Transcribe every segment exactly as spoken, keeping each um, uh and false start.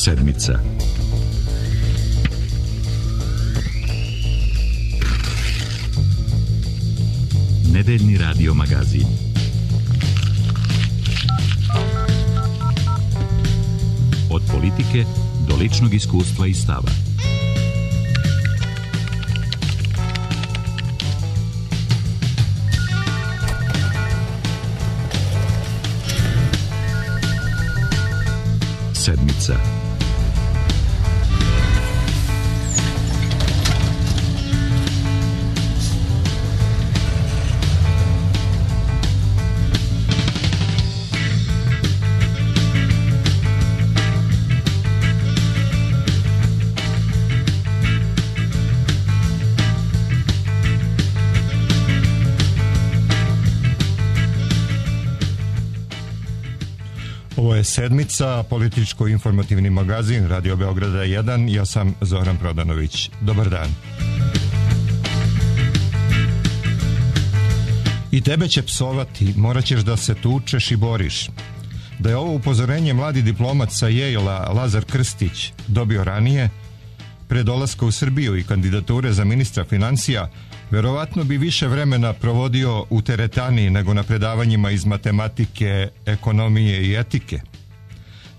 Sedmica. Nedeljni radio magazin. Od politike do ličnog iskustva i stava. Sedmica. Ovo je Sedmica, političko-informativni magazin Radio Beograda jedan. Ja sam Zoran Prodanović. Dobar dan. I tebe će psovati, morat ćeš da se tučeš i boriš. Da je ovo upozorenje mladi diplomat sa Yale-a Lazar Krstić dobio ranije, pre dolaska u Srbiju i kandidature za ministra financija, verovatno bi više vremena provodio u teretani nego na predavanjima iz matematike, ekonomije i etike.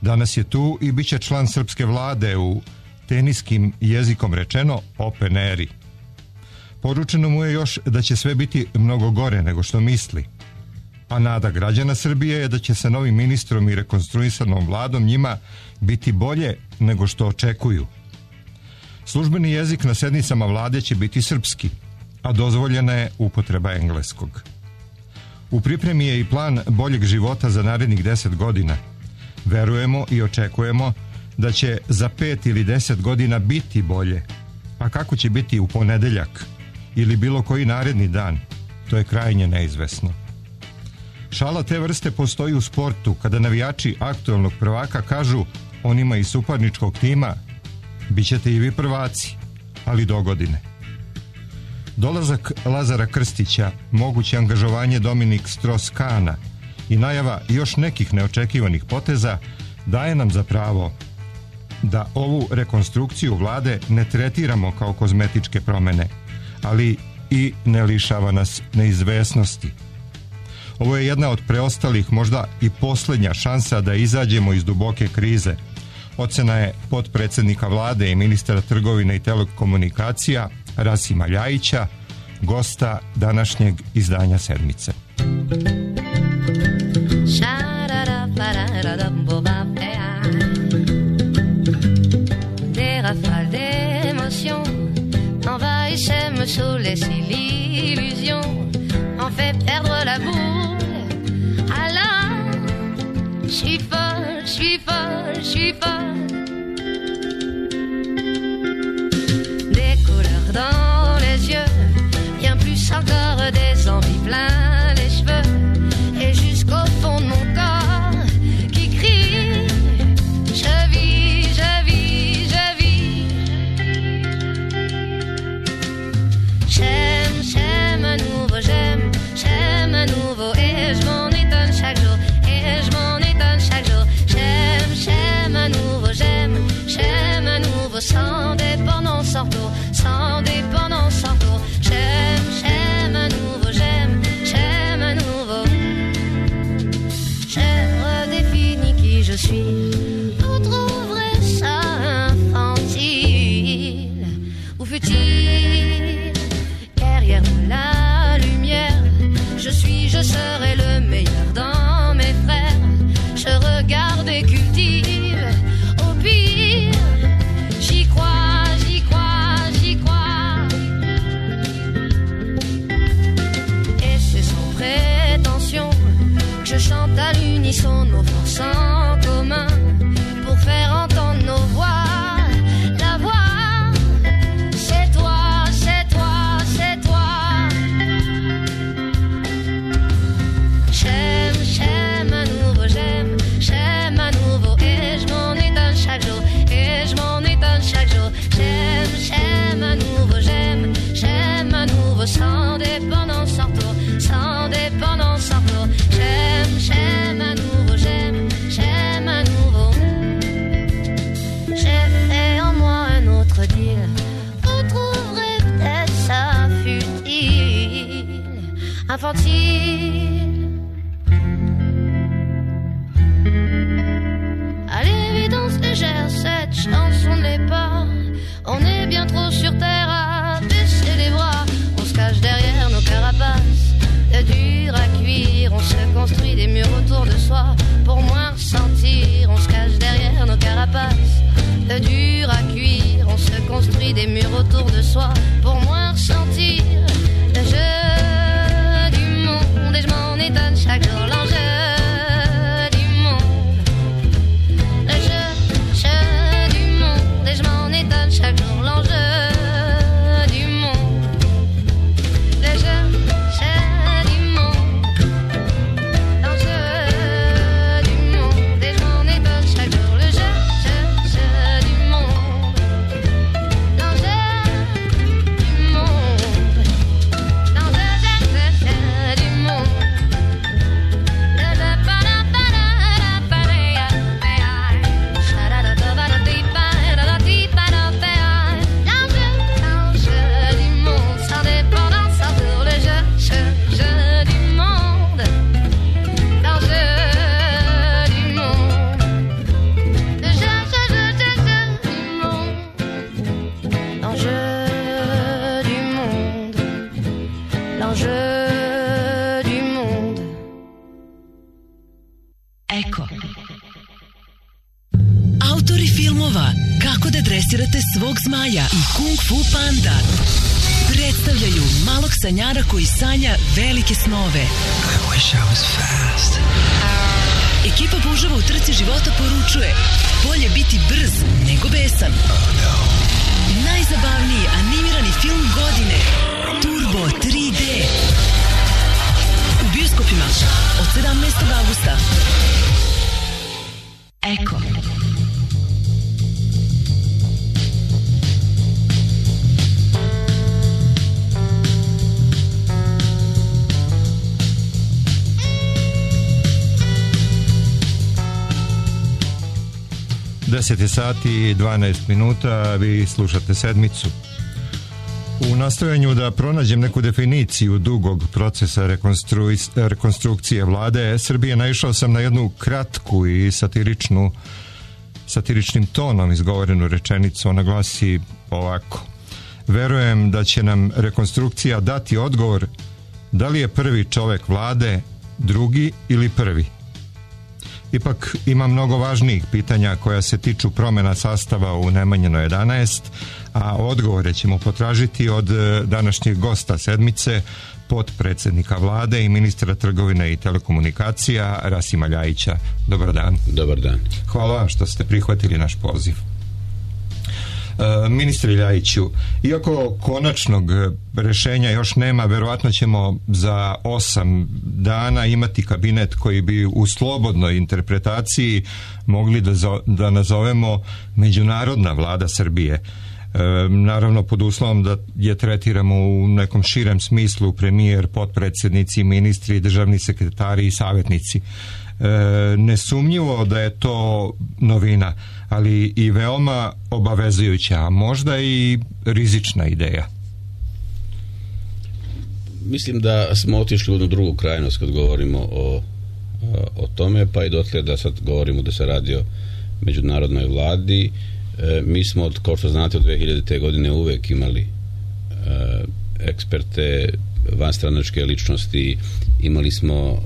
Danas je tu i bit će član srpske vlade u teniskim jezikom rečeno open eri. Poručeno mu je još da će sve biti mnogo gore nego što misli. A nada građana Srbije je da će sa novim ministrom i rekonstruisanom vladom njima biti bolje nego što očekuju. Službeni jezik na sednicama vlade će biti srpski, a dozvoljena je upotreba engleskog. U pripremi je i plan boljeg života za narednih deset godina. Verujemo i očekujemo da će za pet ili deset godina biti bolje. A kako će biti u ponedeljak ili bilo koji naredni dan, to je krajnje neizvesno. Šala te vrste postoji u sportu kada navijači aktuelnog prvaka kažu onima iz suparničkog tima: bićete i vi prvaci, ali do godine. Dolazak Lazara Krstića, moguće angažovanje Dominik Strauss-Kahna i najava još nekih neočekivanih poteza daje nam za pravo da ovu rekonstrukciju vlade ne tretiramo kao kozmetičke promene, ali i ne lišava nas neizvesnosti. Ovo je jedna od preostalih, možda i posljednja šansa da izađemo iz duboke krize. Ocena je potpredsjednika vlade i ministra trgovine i telekomunikacija Rasima Ljajića, gosta današnjeg izdanja Sedmice. Des rafales d'émotions envahissaient me saoulaient l'illusion, en fait perdre la boule. Alors, je suis folle, je suis folle, je suis folle. Des couleurs dans les yeux, bien plus encore des envies plein les cheveux, et jusqu'au fond de mon corps qui crie: je vis, je vis, je vis. J'aime, j'aime à nouveau, j'aime, j'aime à nouveau, et je m'en étonne chaque jour, et je m'en étonne chaque jour. J'aime, j'aime à nouveau, j'aime, j'aime à nouveau, sans dépendance, sans retour, sans dépendance, sans retour. J'aime, j'aime à nouveau, j'aime, j'aime à nouveau. J'ai redéfini qui je suis. Vous trouverez ça infantile. Où fut-il derrière la lumière? Je suis, je serai le meilleur dans mes frères. Je regarde et cultive. Au pire, j'y crois, j'y crois, j'y crois. Et c'est sans prétention que je chante à l'unisson nos forces en commun. infantile. À l'évidence légère, cette chanson ne l'est pas. On est bien trop sur terre à baisser les bras. On se cache derrière nos carapaces, de dur à cuire. On se construit des murs autour de soi pour moins ressentir. On se cache derrière nos carapaces, de dur à cuire. On se construit des murs autour de soi pour moins ressentir. Le jeu du monde, et je m'en étonne chaque jour. L'enjeu du monde, le jeu, jeu du monde, et je m'en étonne chaque jour. L'enjeu du monde, le jeu, jeu du monde, l'enjeu du monde, et je m'en étonne chaque jour. Le jeu, jeu, jeu du monde, l'enjeu du monde, l'enjeu, jeu, jeu, jeu du monde. Autori filmova Kako da dresirate svog zmaja i Kung Fu Panda predstavljaju malog sanjara koji sanja velike snove. I wish I was fast. Ekipa puževa u trci života poručuje: bolje biti brz nego besan. Oh no. Najzabavniji animirani film godine Turbo tri D u bioskopima od sedamnaestog avgusta. Eko. deset je sati i dvanaest minuta, vi slušate Sedmicu. U nastojanju da pronađem neku definiciju dugog procesa rekonstru- rekonstrukcije vlade Srbije naišao sam na jednu kratku i satiričnu satiričnim tonom izgovorenu rečenicu. Ona glasi ovako: verujem da će nam rekonstrukcija dati odgovor da li je prvi čovek vlade drugi ili prvi. Ipak ima mnogo važnijih pitanja koja se tiču promjena sastava u Nemanjinoj jedanaest, a odgovore ćemo potražiti od današnjeg gosta Sedmice, potpredsjednika vlade i ministra trgovine i telekomunikacija Rasima Ljajića. Dobar dan. Dobar dan. Hvala vam što ste prihvatili naš poziv. E, ministre Ljajiću, iako konačnog rešenja još nema, verovatno ćemo za osam dana imati kabinet koji bi u slobodnoj interpretaciji mogli da, zo, da nazovemo međunarodna vlada Srbije. E, naravno pod uslovom da je tretiramo u nekom širem smislu premijer, potpredsjednici, ministri, državni sekretari i savjetnici. E, nesumnjivo da je to novina, ali i veoma obavezujuća, a možda i rizična ideja. Mislim da smo otišli u jednu drugu krajnost kad govorimo o, o tome, pa i dotle da sad govorimo da se radi o međunarodnoj vladi. E, mi smo, od, kao što znate, od dve hiljadite. godine uvek imali e, eksperte, vanstranačke ličnosti, imali smo e,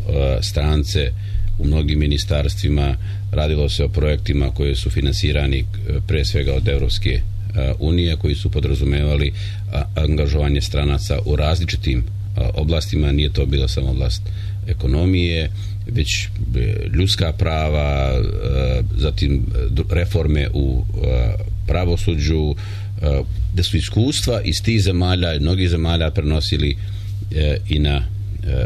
strance u mnogim ministarstvima, radilo se o projektima koji su finansirani pre svega od Evropske unije, koji su podrazumevali angažovanje stranaca u različitim oblastima. Nije to bila samo oblast ekonomije, već ljudska prava, zatim reforme u pravosuđu, da su iskustva iz tih zemalja i mnogih zemalja prenosili i na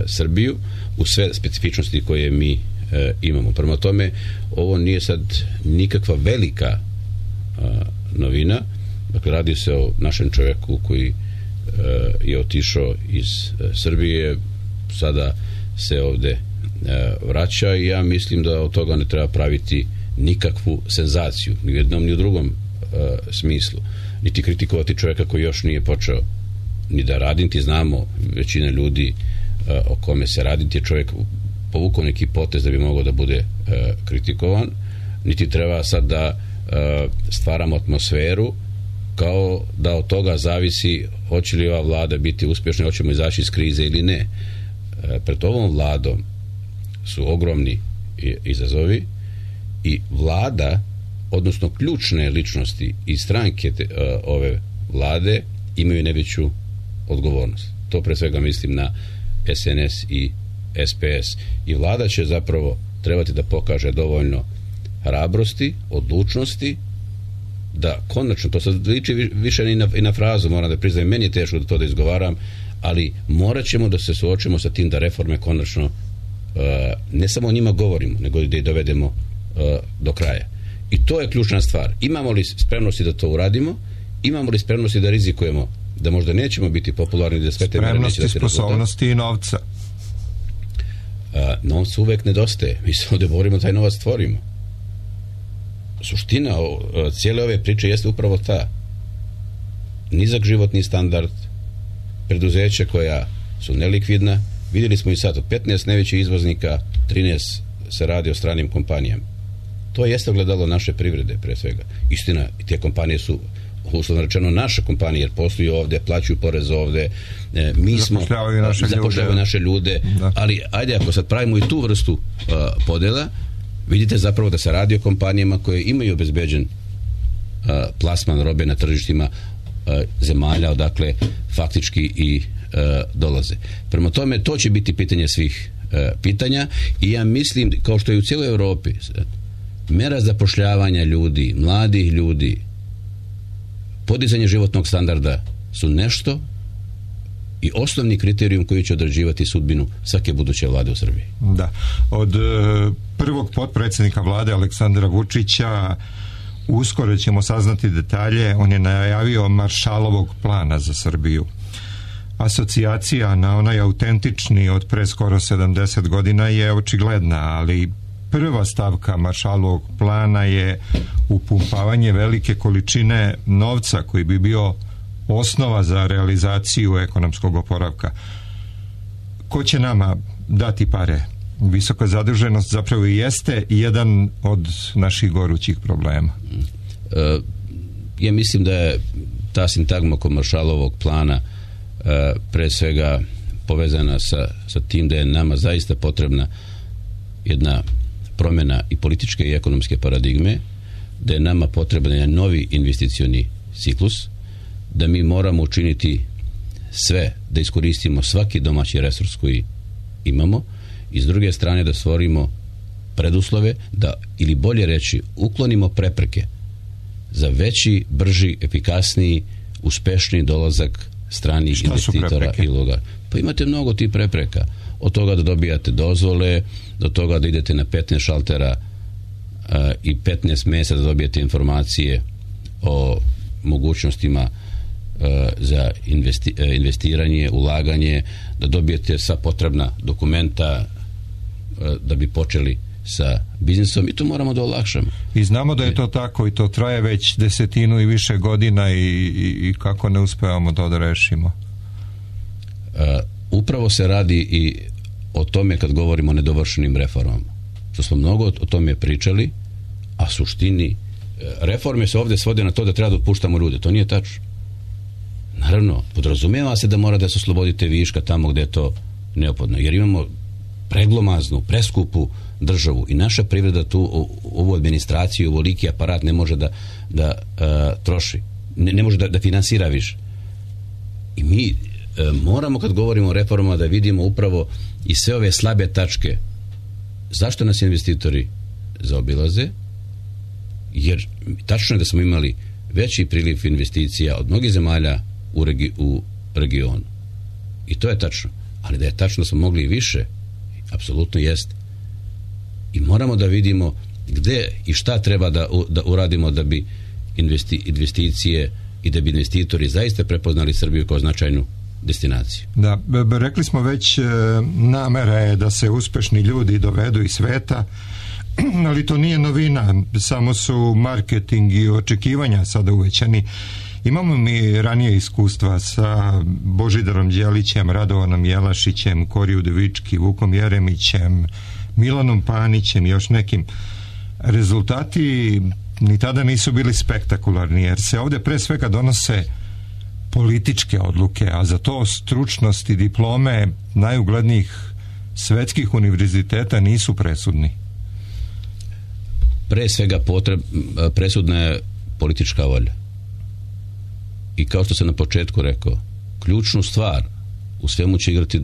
Srbiju u sve specifičnosti koje mi imamo. Prema tome, ovo nije sad nikakva velika novina. Dakle, radi se o našem čovjeku koji je otišao iz Srbije, sada se ovde vraća i ja mislim da od toga ne treba praviti nikakvu senzaciju, ni u jednom ni u drugom smislu, niti kritikovati čovjeka koji još nije počeo ni da radi. Niti znamo, većina ljudi o kome se radi, ti je čovjek povukao neki potez da bi mogao da bude kritikovan, niti treba sad da stvaramo atmosferu kao da od toga zavisi hoće li ova vlada biti uspješna, hoćemo izaći iz krize ili ne. Pred ovom vladom su ogromni izazovi i vlada, odnosno ključne ličnosti i stranke te, ove vlade imaju najveću odgovornost. To pre svega mislim na S N S i S P S. I vlada će zapravo trebati da pokaže dovoljno hrabrosti, odlučnosti, da konačno, to sad liči više i na, i na frazu, moram da priznajem, meni je teško da to da izgovaram, ali morat ćemo da se suočimo sa tim da reforme konačno uh, ne samo o njima govorimo, nego da ih dovedemo uh, do kraja. I to je ključna stvar. Imamo li spremnosti da to uradimo? Imamo li spremnosti da rizikujemo da možda nećemo biti popularni, da sve te mere neće da se rezultat? Sposobnosti i novca. Uh, novca uvek nedostaje. Mi se ovdje borimo, taj novac stvorimo. Suština uh, cijele ove priče jeste upravo ta. Nizak životni standard, preduzeća koja su nelikvidna. Vidjeli smo i sad, od petnaest najvećih izvoznika, trinaest se radi o stranim kompanijama. To jeste ogledalo naše privrede, pre svega. Istina, te kompanije su uslovno rečeno naše kompanije, jer posluju ovde, plaćaju porez ovde, e, mi smo zapošljavaju naše, zapošljavaju naše ljude, da. Ali ajde, ako sad pravimo i tu vrstu uh, podela, vidite zapravo da se radi o kompanijama koje imaju obezbeđen uh, plasman robe na tržištima uh, zemalja odakle faktički i uh, dolaze. Prema tome, to će biti pitanje svih uh, pitanja i ja mislim, kao što je u cijeloj Evropi, mera zapošljavanja ljudi, mladih ljudi, podizanje životnog standarda su nešto i osnovni kriterijum koji će određivati sudbinu svake buduće vlade u Srbiji. Da. Od e, prvog potpredsjednika vlade Aleksandra Vučića uskoro ćemo saznati detalje. On je najavio Maršalovog plana za Srbiju. Asocijacija na onaj autentični od pre skoro sedamdeset godina je očigledna, ali prva stavka Maršalovog plana je upumpavanje velike količine novca koji bi bio osnova za realizaciju ekonomskog oporavka. Ko će nama dati pare? Visoka zaduženost zapravo i jeste jedan od naših gorućih problema. E, ja mislim da je ta sintagma kod Maršalovog plana e, pre svega povezana sa, sa tim da je nama zaista potrebna jedna promjena i političke i ekonomske paradigme, da je nama potreban jedan novi investicioni ciklus, da mi moramo učiniti sve da iskoristimo svaki domaći resurs koji imamo i s druge strane da stvorimo preduslove da, ili bolje reći, uklonimo prepreke za veći, brži, efikasniji, uspešniji dolazak stranih Šta investitora i uloga. Pa imate mnogo tih prepreka. Od toga da dobijate dozvole, do toga da idete na petnaest šaltera uh, i petnaest mjeseca da dobijete informacije o mogućnostima uh, za investi, uh, investiranje, ulaganje, da dobijete sva potrebna dokumenta uh, da bi počeli sa biznisom i to moramo da olakšamo. I znamo da je to tako i to traje već desetinu i više godina i, i, i kako ne uspevamo to da rešimo? Uh, upravo se radi i o tome kad govorimo o nedovršenim reformama. Što smo mnogo o tome pričali, a suštini reforme se ovdje svode na to da treba da otpuštamo ljude. To nije tačno. Naravno, podrazumijeva se da mora da se oslobodite viška tamo gdje je to neophodno. Jer imamo preglomaznu, preskupu državu i naša privreda tu ovu administraciju, ovoliki aparat ne može da, da uh, troši. Ne, ne može da, da finansira više. I mi moramo kad govorimo o reformama da vidimo upravo i sve ove slabe tačke. Zašto nas investitori zaobilaze? Jer tačno je da smo imali veći priliv investicija od mnogih zemalja u, regi, u regionu. I to je tačno. Ali da je tačno da smo mogli i više, apsolutno jest. I moramo da vidimo gde i šta treba da, da uradimo da bi investi, investicije i da bi investitori zaista prepoznali Srbiju kao značajnu destinaciju. Da, rekli smo već, namera je da se uspešni ljudi dovedu iz sveta, ali to nije novina, samo su marketing i očekivanja sada uvećani Imamo mi ranije iskustva sa Božidarom Đelićem, Radovanom Jelašićem, Koriju Devički, Vukom Jeremićem, Milanom Panićem i još nekim. Rezultati ni tada nisu bili spektakularni, jer se ovde pre svega donose političke odluke, a za to stručnost i diplome najuglednijih svetskih univerziteta nisu presudni. Pre svega potreb, presudna je politička volja. I kao što sam na početku rekao, ključnu stvar u svemu će igrati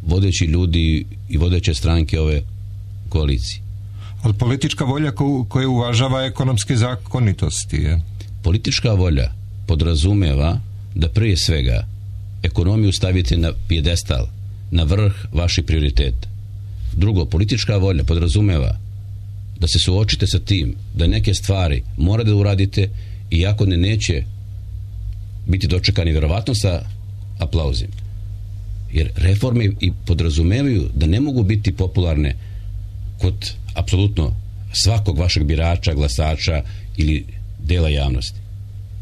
vodeći ljudi i vodeće stranke ove koalicije. Ali politička volja ko, koja uvažava ekonomske zakonitosti je? Politička volja podrazumeva da prije svega ekonomiju stavite na pijedestal, na vrh vaših prioriteta. Drugo, politička volja podrazumeva da se suočite sa tim da neke stvari morate da uradite, iako ne neće biti dočekani vjerovatno sa aplauzim. Jer reforme i podrazumevaju da ne mogu biti popularne kod apsolutno svakog vašeg birača, glasača ili dela javnosti.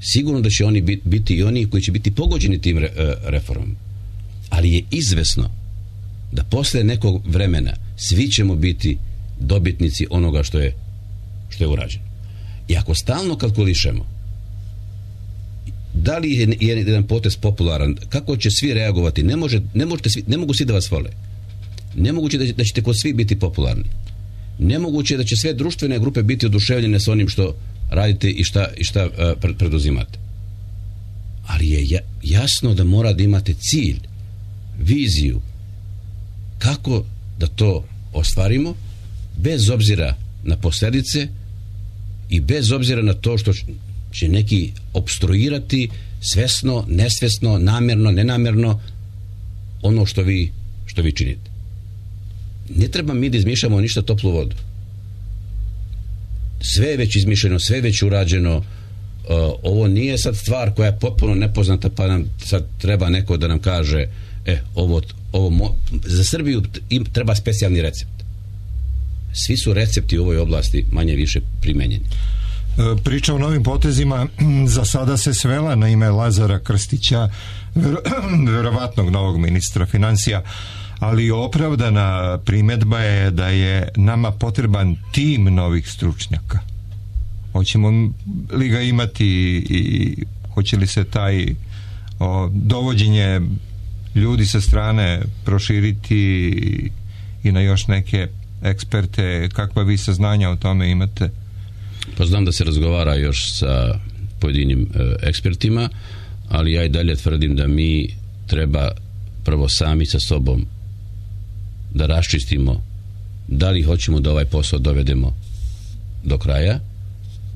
Sigurno da će oni biti i oni koji će biti pogođeni tim reformama. Ali je izvesno da posle nekog vremena svi ćemo biti dobitnici onoga što je što je urađeno. I ako stalno kalkulišemo da li je jedan potez popularan, kako će svi reagovati, ne, može, ne, možete svi, ne mogu svi da vas vole. Nemoguće da, da ćete kod svi biti popularni. Nemoguće da će sve društvene grupe biti oduševljene sa onim što radite i šta, i šta uh, preduzimate. Ali je jasno da mora da imate cilj, viziju, kako da to ostvarimo, bez obzira na posljedice i bez obzira na to što će neki opstruirati svesno, nesvesno, namjerno, nenamjerno ono što vi, što vi činite. Ne treba mi da izmišljamo ništa toplu vodu. Sve je već izmišljeno, sve je već urađeno. Uh, ovo nije sad stvar koja je potpuno nepoznata, pa nam sad treba neko da nam kaže e, ovo, ovo mo- za Srbiju im treba specijalni recept. Svi su recepti u ovoj oblasti manje više primenjeni. Priča o novim potezima za sada se svela na ime Lazara Krstića, verovatnog novog ministra financija, ali opravdana primedba je da je nama potreban tim novih stručnjaka. Hoćemo li ga imati i hoće li se taj o, dovođenje ljudi sa strane proširiti i na još neke eksperte? Kakva vi saznanja o tome imate? Pa znam da se razgovara još sa pojedinim e, ekspertima, ali ja i dalje tvrdim da mi treba prvo sami sa sobom da raščistimo da li hoćemo da ovaj posao dovedemo do kraja,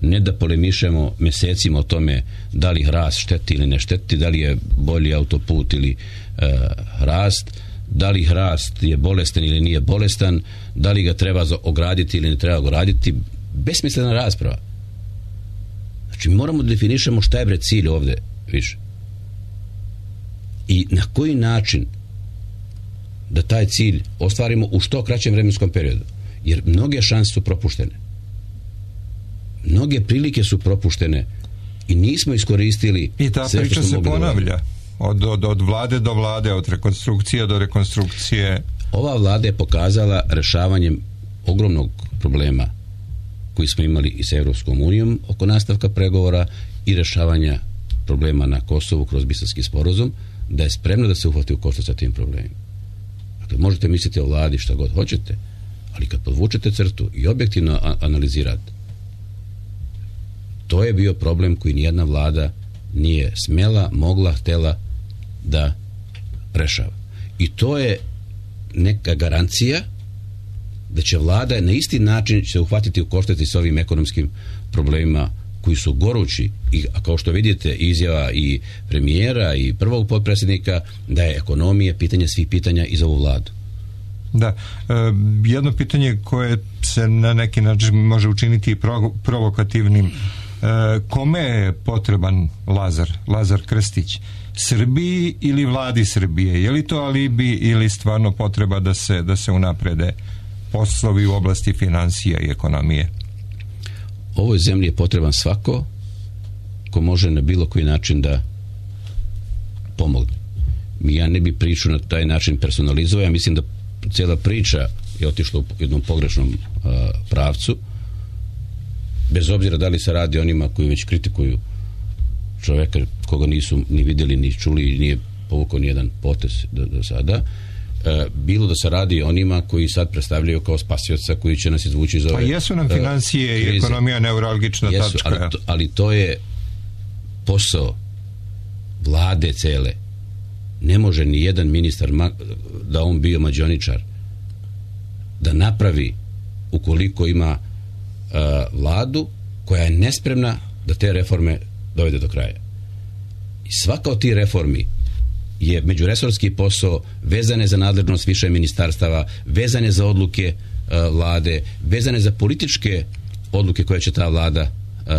ne da polemišemo mesecima o tome da li hrast šteti ili ne šteti, da li je bolji autoput ili e, hrast, da li hrast je bolestan ili nije bolestan, da li ga treba ograditi ili ne treba ograditi. Besmislena rasprava. Znači mi moramo da definišemo šta je bre cilj ovde više i na koji način da taj cilj ostvarimo u što kraćem vremenskom periodu, jer mnoge šanse su propuštene, mnoge prilike su propuštene i nismo iskoristili i ta sve priča se ponavlja od, od, od vlade do vlade, od rekonstrukcije do rekonstrukcije. Ova vlada je pokazala rešavanjem ogromnog problema koji smo imali i sa Evropskom unijom oko nastavka pregovora i rešavanja problema na Kosovu kroz Briselski sporazum, da je spremna da se uhvati u koštac sa tim problemima. Dakle, možete misliti o vladi šta god hoćete, ali kad podvučete crtu i objektivno analizirate, to je bio problem koji nijedna vlada nije smela, mogla, htela da rešava. I to je neka garancija da će vlada na isti način se uhvatiti u koštac s ovim ekonomskim problemima koji su gorući, i kao što vidite izjava i premijera i prvog potpredsjednika da je ekonomija pitanje svih pitanja i za ovu vladu. Da, e, jedno pitanje koje se na neki način može učiniti pro, provokativnim. E, kome je potreban Lazar, Lazar Krstić? Srbiji ili vladi Srbije? Je li to alibi ili stvarno potreba da se, da se unaprede poslovi u oblasti financija i ekonomije? Ovoj zemlji je potreban svako ko može na bilo koji način da pomogne. Ja ne bi priču na taj način personalizovao, ja mislim da cijela priča je otišla u jednom pogrešnom uh, pravcu, bez obzira da li se radi onima koji već kritikuju čoveka koga nisu ni vidjeli, ni čuli i nije povukao ni jedan potez do, do sada. E, bilo da se radi onima koji sad predstavljaju kao spasioca koji će nas izvući iz ove... Pa jesu nam financije uh, i ekonomija neuralgična jesu, tačka. Ali to, ali to je posao vlade cele. Ne može ni jedan ministar, da on bio mađioničar, da napravi, ukoliko ima uh, vladu koja je nespremna da te reforme dovede do kraja. I svaka od tih reformi je međuresorski posao, vezane za nadležnost više ministarstava, vezane za odluke uh, vlade, vezane za političke odluke koje će ta vlada uh,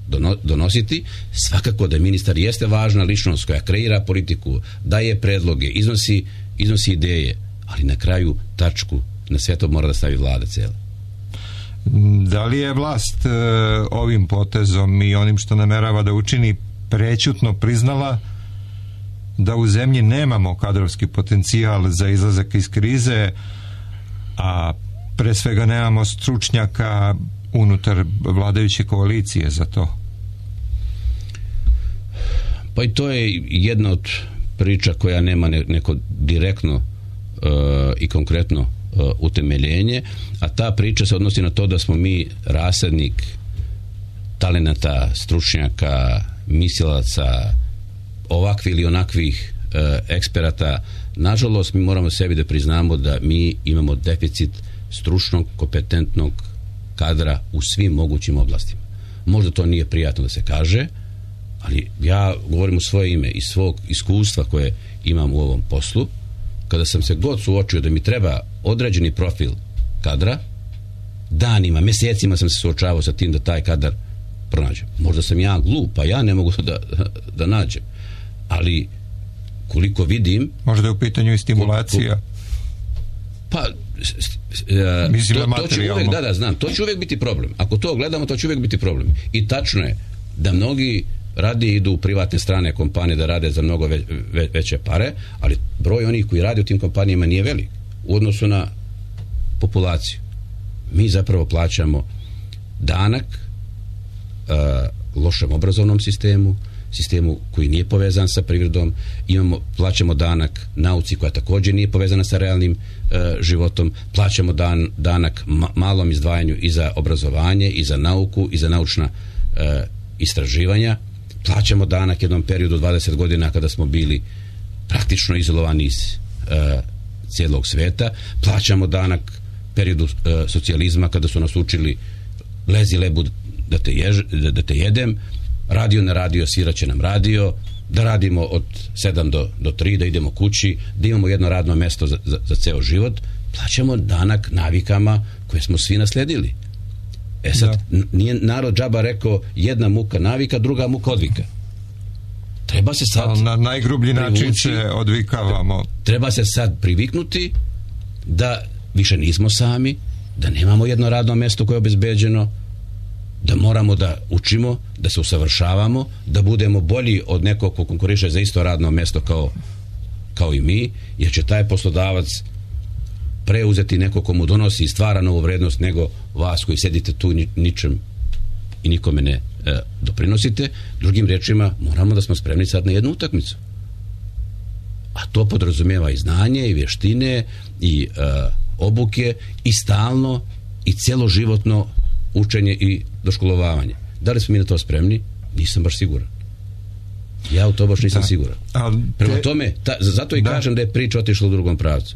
dono, donositi. Svakako da ministar jeste važna ličnost koja kreira politiku, daje predloge, iznosi, iznosi ideje, ali na kraju tačku na sve to mora da stavi vlada cijela. Da li je vlast uh, ovim potezom i onim što namerava da učini prećutno priznala da u zemlji nemamo kadrovski potencijal za izlazak iz krize, a pre svega nemamo stručnjaka unutar vladajuće koalicije za to? Pa i to je jedna od priča koja nema neko direktno uh, i konkretno uh, utemeljenje, a ta priča se odnosi na to da smo mi rasadnik talenata, stručnjaka, mislilaca, ovakvih ili onakvih e, eksperata. Nažalost, mi moramo sebi da priznamo da mi imamo deficit stručnog, kompetentnog kadra u svim mogućim oblastima. Možda to nije prijatno da se kaže, ali ja govorim u svoje ime i svog iskustva koje imam u ovom poslu. Kada sam se god suočio da mi treba određeni profil kadra, danima, mjesecima sam se suočavao sa tim da taj kadar pronađem. Možda sam ja glup, pa ja ne mogu da, da nađem. Ali koliko vidim... Možda je u pitanju i stimulacija. Pa Mislim, to, to će uvek, da, da, znam, to će uvek biti problem. Ako to gledamo, to će uvek biti problem. I tačno je da mnogi radije idu u privatne strane kompanije da rade za mnogo ve, ve, veće pare, ali broj onih koji rade u tim kompanijama nije velik u odnosu na populaciju. Mi zapravo plaćamo danak uh, lošem obrazovnom sistemu, sistemu koji nije povezan sa privredom, imamo, plaćamo danak nauci koja također nije povezana sa realnim e, životom, plaćamo dan, danak ma, malom izdvajanju i za obrazovanje, i za nauku, i za naučna e, istraživanja, plaćamo danak jednom periodu dvadeset godina kada smo bili praktično izolovani iz e, cijelog sveta, plaćamo danak periodu e, socijalizma kada su nas učili lezi lebu da te, jež, da, da te jedem, radio na radio, sviraće nam radio, da radimo od sedam do, do tri, da idemo kući, da imamo jedno radno mesto za, za, za ceo život, plaćamo danak navikama koje smo svi nasledili. E sad, da. Nije narod džaba rekao jedna muka navika, druga muka odvika. Treba se sad... Na najgrublji privući, način se odvikavamo. Treba se sad priviknuti da više nismo sami, da nemamo jedno radno mesto koje je obezbeđeno, da moramo da učimo, da se usavršavamo, da budemo bolji od nekog ko konkuriše za isto radno mesto kao, kao i mi, jer će taj poslodavac preuzeti neko komu donosi i stvara novu vrednost nego vas koji sedite tu ničem i nikome ne e, doprinosite. Drugim rečima, moramo da smo spremni sad na jednu utakmicu. A to podrazumijeva i znanje, i vještine, i e, obuke, i stalno, i celoživotno učenje i doškolovavanje. Da li smo mi na to spremni? Nisam baš siguran. Ja u to baš nisam da. siguran. Te... Prema tome, ta, zato i da. kažem da je priča otišla u drugom pravcu.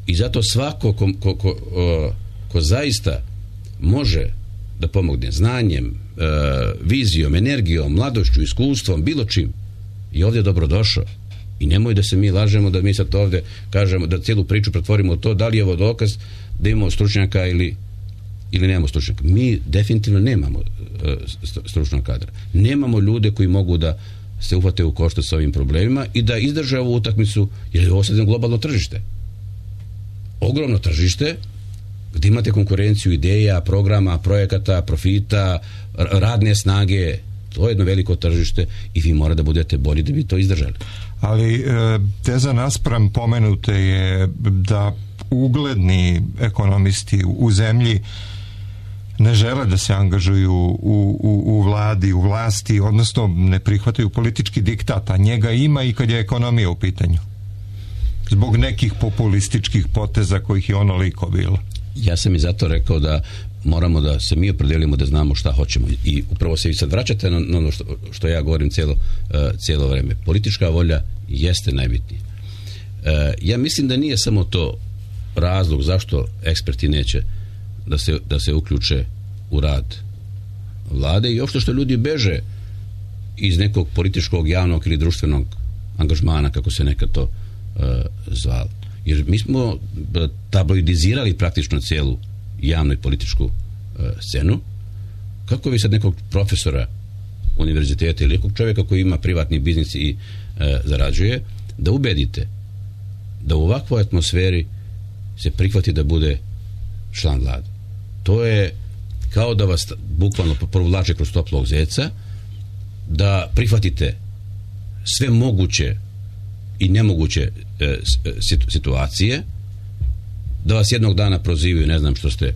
I zato svako ko, ko, ko, o, ko zaista može da pomogne znanjem, e, vizijom, energijom, mladošću, iskustvom, bilo čim, i ovdje je dobrodošao. I nemoj da se mi lažemo da mi sad ovdje kažemo, da cijelu priču pretvorimo u to da li je ovo dokaz da imamo stručnjaka ili ili nemamo stručnjaka. Mi definitivno nemamo uh, stručnog kadra. Nemamo ljude koji mogu da se uhvate u koštac sa ovim problemima i da izdrže ovu utakmicu, jer je ovo sad globalno tržište. Ogromno tržište gdje imate konkurenciju ideja, programa, projekata, profita, radne snage To je jedno veliko tržište i vi morate da budete bolji da bi to izdržali. Ali e, teza naspram pomenute je da ugledni ekonomisti u zemlji ne žele da se angažuju u, u, u vladi, u vlasti, odnosno ne prihvataju politički diktat, a njega ima i kad je ekonomija u pitanju. Zbog nekih populističkih poteza kojih je onoliko bilo. Ja sam i zato rekao da moramo da se mi opredelimo da znamo šta hoćemo i upravo se vi sad vraćate na ono što, što ja govorim cijelo, uh, cijelo vreme. Politička volja jeste najbitnija. Uh, ja mislim da nije samo to razlog zašto eksperti neće da se, da se uključe u rad vlade i uopšte što ljudi beže iz nekog političkog, javnog ili društvenog angažmana, kako se nekad to uh, zvalo. Jer mi smo tabloidizirali praktično cijelu javnu i političku uh, scenu. Kako vi sad nekog profesora univerziteta ili nekog čovjeka koji ima privatni biznis i uh, zarađuje, da ubedite da u ovakvoj atmosferi se prihvati da bude član vlade. To je kao da vas bukvalno provlače kroz toplog zeca, da prihvatite sve moguće i nemoguće e, situacije, da vas jednog dana prozivaju, ne znam što ste e,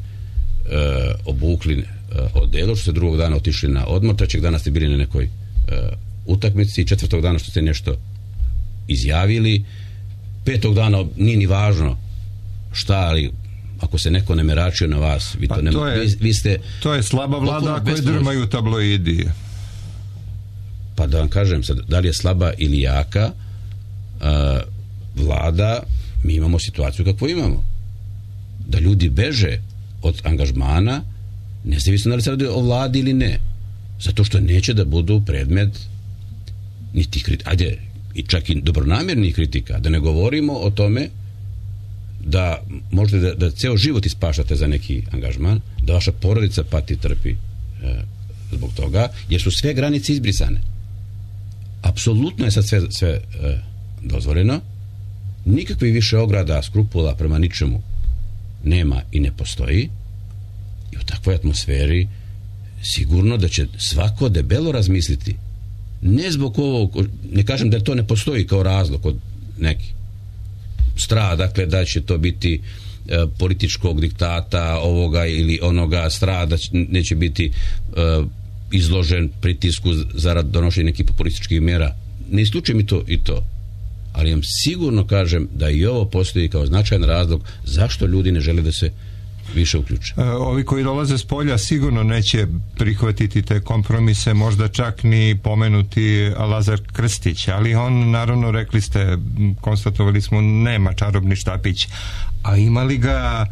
obukli e, odelo, što ste drugog dana otišli na odmor, trećeg dana ste bili na nekoj e, utakmici, četvrtog dana što ste nešto izjavili, petog dana nije ni važno šta, ali ako se neko ne meračio na vas, vi to, pa ne, to je, vi, vi ste to je slaba vlada koje drmaju tabloidi. Pa da vam kažem sad, da li je slaba ili jaka a, vlada, mi imamo situaciju kakvu imamo. Da ljudi beže od angažmana, nezavisno da li se radi o vladi ili ne. Zato što neće da budu predmet niti kritika, ajde, i čak i dobronamjernih kritika. Da ne govorimo o tome da možete da, da ceo život ispaštate za neki angažman, da vaša porodica pati, trpi e, zbog toga, jer su sve granice izbrisane. Apsolutno je sad sve, sve e, dozvoljeno. Nikakvi više ograda, skrupula prema ničemu nema i ne postoji. I u takvoj atmosferi sigurno da će svako debelo razmisliti. Ne zbog ovog, ne kažem da to ne postoji kao razlog kod nekih strah, dakle da će to biti e, političkog diktata ovoga ili onoga, strah da će, neće biti e, izložen pritisku zarad donošenja nekih populističkih mjera. Ne isključujem i to i to. Ali vam sigurno kažem da i ovo postoji kao značajan razlog zašto ljudi ne žele da se više uključe. E, ovi koji dolaze s polja sigurno neće prihvatiti te kompromise, možda čak ni pomenuti Lazar Krstić, ali on, naravno, rekli ste, konstatovali smo, nema čarobni štapić, a imali ga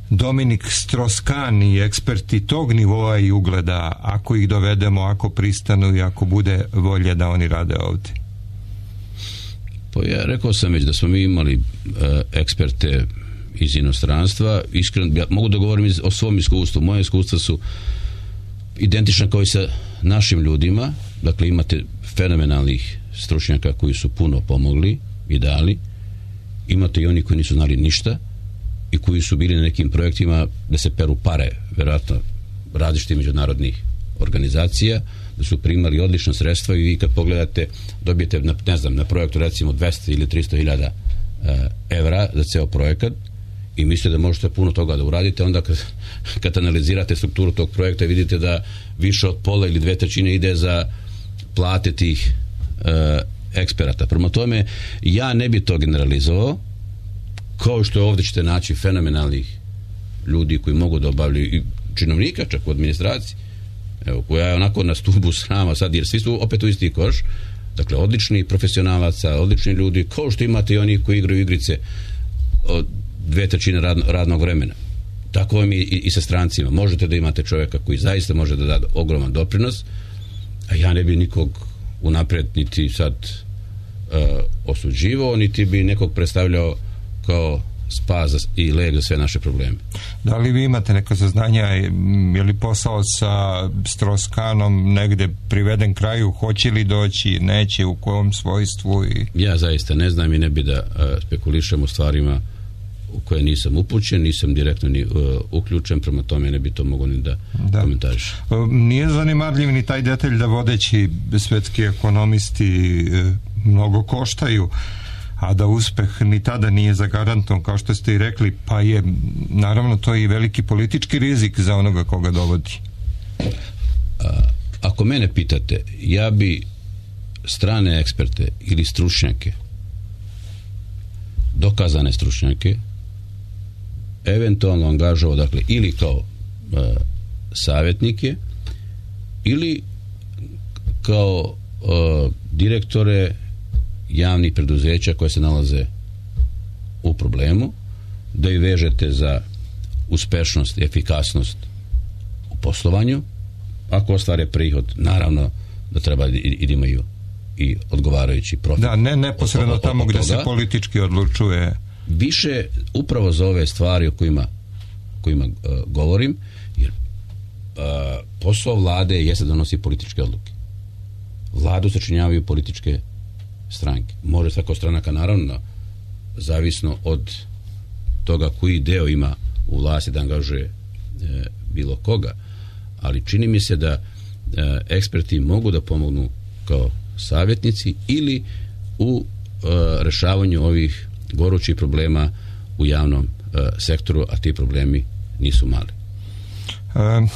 Dominik Stroskan i eksperti tog nivoa i ugleda, ako ih dovedemo, ako pristanu i ako bude volje da oni rade ovdje? Pa ja rekao sam već da smo mi imali uh, eksperte iz inostranstva. Iskreno, ja mogu da govorim o svom iskustvu. Moje iskustva su identična kao i sa našim ljudima. Dakle, imate fenomenalnih stručnjaka koji su puno pomogli i dali. Imate i oni koji nisu znali ništa i koji su bili na nekim projektima da se peru pare, vjerojatno različitih međunarodnih organizacija, da su primali odlična sredstva i vi kad pogledate dobijete, na, ne znam, na projektu recimo dvesta ili tristo hiljada evra za ceo projekat i mislite da možete puno toga da uradite, onda kad, kad analizirate strukturu tog projekta vidite da više od pola ili dve trećine ide za plate tih e, eksperata. Prema tome, ja ne bi to generalizovao, kao što je ovdje ćete naći fenomenalnih ljudi koji mogu da obavljaju i činovnika čak u administraciji, evo, koja je onako na stubu srama sad, jer svi su opet u isti koš. Dakle, odlični profesionalaca, odlični ljudi, kao što imate i oni koji igraju igrice od dve trećine rad, radnog vremena. Tako vam i, i, i sa strancima. Možete da imate čovjeka koji zaista može da da ogroman doprinos, a ja ne bi nikog unapred niti sad uh, osuđivao, niti bi nekog predstavljao kao spas i leg za sve naše probleme. Da li vi imate neka saznanja, je li posao sa Stroskanom negde priveden kraju, hoće li doći, neće, u kojem svojstvu? I... Ja zaista ne znam i ne bi da uh, spekulišem o stvarima u koje nisam upućen, nisam direktno ni uh, uključen, prema tome ne bi to mogo ni da, da. komentariš. Nije zanimarljiv ni taj detalj da vodeći svetski ekonomisti e, mnogo koštaju, a da uspeh ni tada nije zagarantovan, kao što ste i rekli, pa je naravno to i veliki politički rizik za onoga koga dovodi. A, ako mene pitate, ja bi strane eksperte ili stručnjake, dokazane stručnjake, eventualno angažovao, dakle, ili kao e, savjetnike ili kao e, direktore javnih preduzeća koje se nalaze u problemu, da ih vežete za uspešnost i efikasnost u poslovanju. Ako ostvare prihod, naravno da treba i, i da imaju i odgovarajući profit. Da, ne neposredno od, od, tamo od gdje se politički odlučuje. Više upravo za ove stvari o kojima, kojima uh, govorim, jer uh, posao vlade jeste da donosi političke odluke. Vladu sačinjavaju političke stranke. Može svaka stranaka, naravno, zavisno od toga koji deo ima u vlasti da angažuje e, bilo koga, ali čini mi se da e, eksperti mogu da pomognu kao savjetnici ili u e, rešavanju ovih gorućih problema u javnom e, sektoru, a ti problemi nisu mali. E,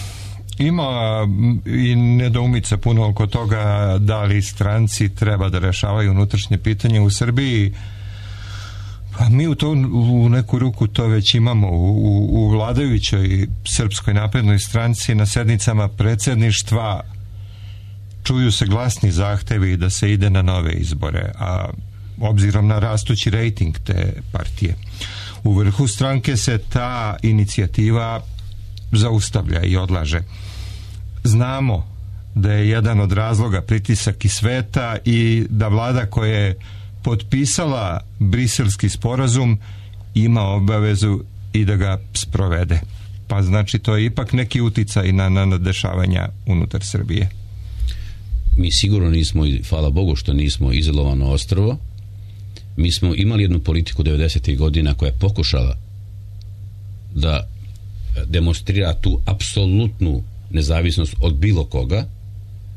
ima i nedoumica puno oko toga da li stranci treba da rešavaju unutrašnje pitanje u Srbiji. Pa mi u, to, u neku ruku to već imamo u, u, u vladajućoj Srpskoj naprednoj stranci. Na sednicama predsjedništva čuju se glasni zahtevi da se ide na nove izbore, a obzirom na rastući rejting te partije, u vrhu stranke se ta inicijativa zaustavlja i odlaže. Znamo da je jedan od razloga pritisak iz sveta i da vlada koja je potpisala briselski sporazum ima obavezu i da ga sprovede. Pa znači to je ipak neki uticaj na, na dešavanja unutar Srbije. Mi sigurno nismo, hvala Bogu što nismo izolovano ostrvo. Mi smo imali jednu politiku devedesetih godina koja je pokušala da demonstrira tu apsolutnu nezavisnost od bilo koga.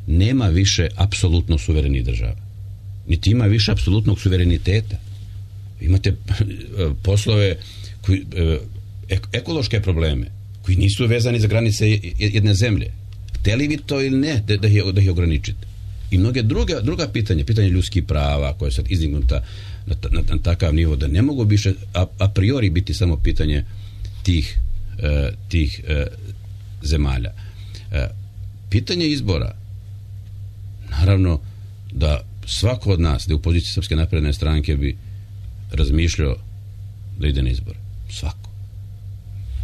Nema više apsolutno suverenih država. Niti ima više apsolutnog suvereniteta. Imate poslove koji, ekološke probleme koji nisu vezani za granice jedne zemlje. Hteli vi to ili ne da, da, ih, da ih ograničite. I mnoge druge, druga pitanja, pitanje ljudskih prava koje su izdignuta na, na, na takav nivo da ne mogu više a, a priori biti samo pitanje tih, e, tih e, zemalja. E, pitanje izbora, naravno da svako od nas da je u poziciji Srpske napredne stranke bi razmišljao da ide na izbore. Svako.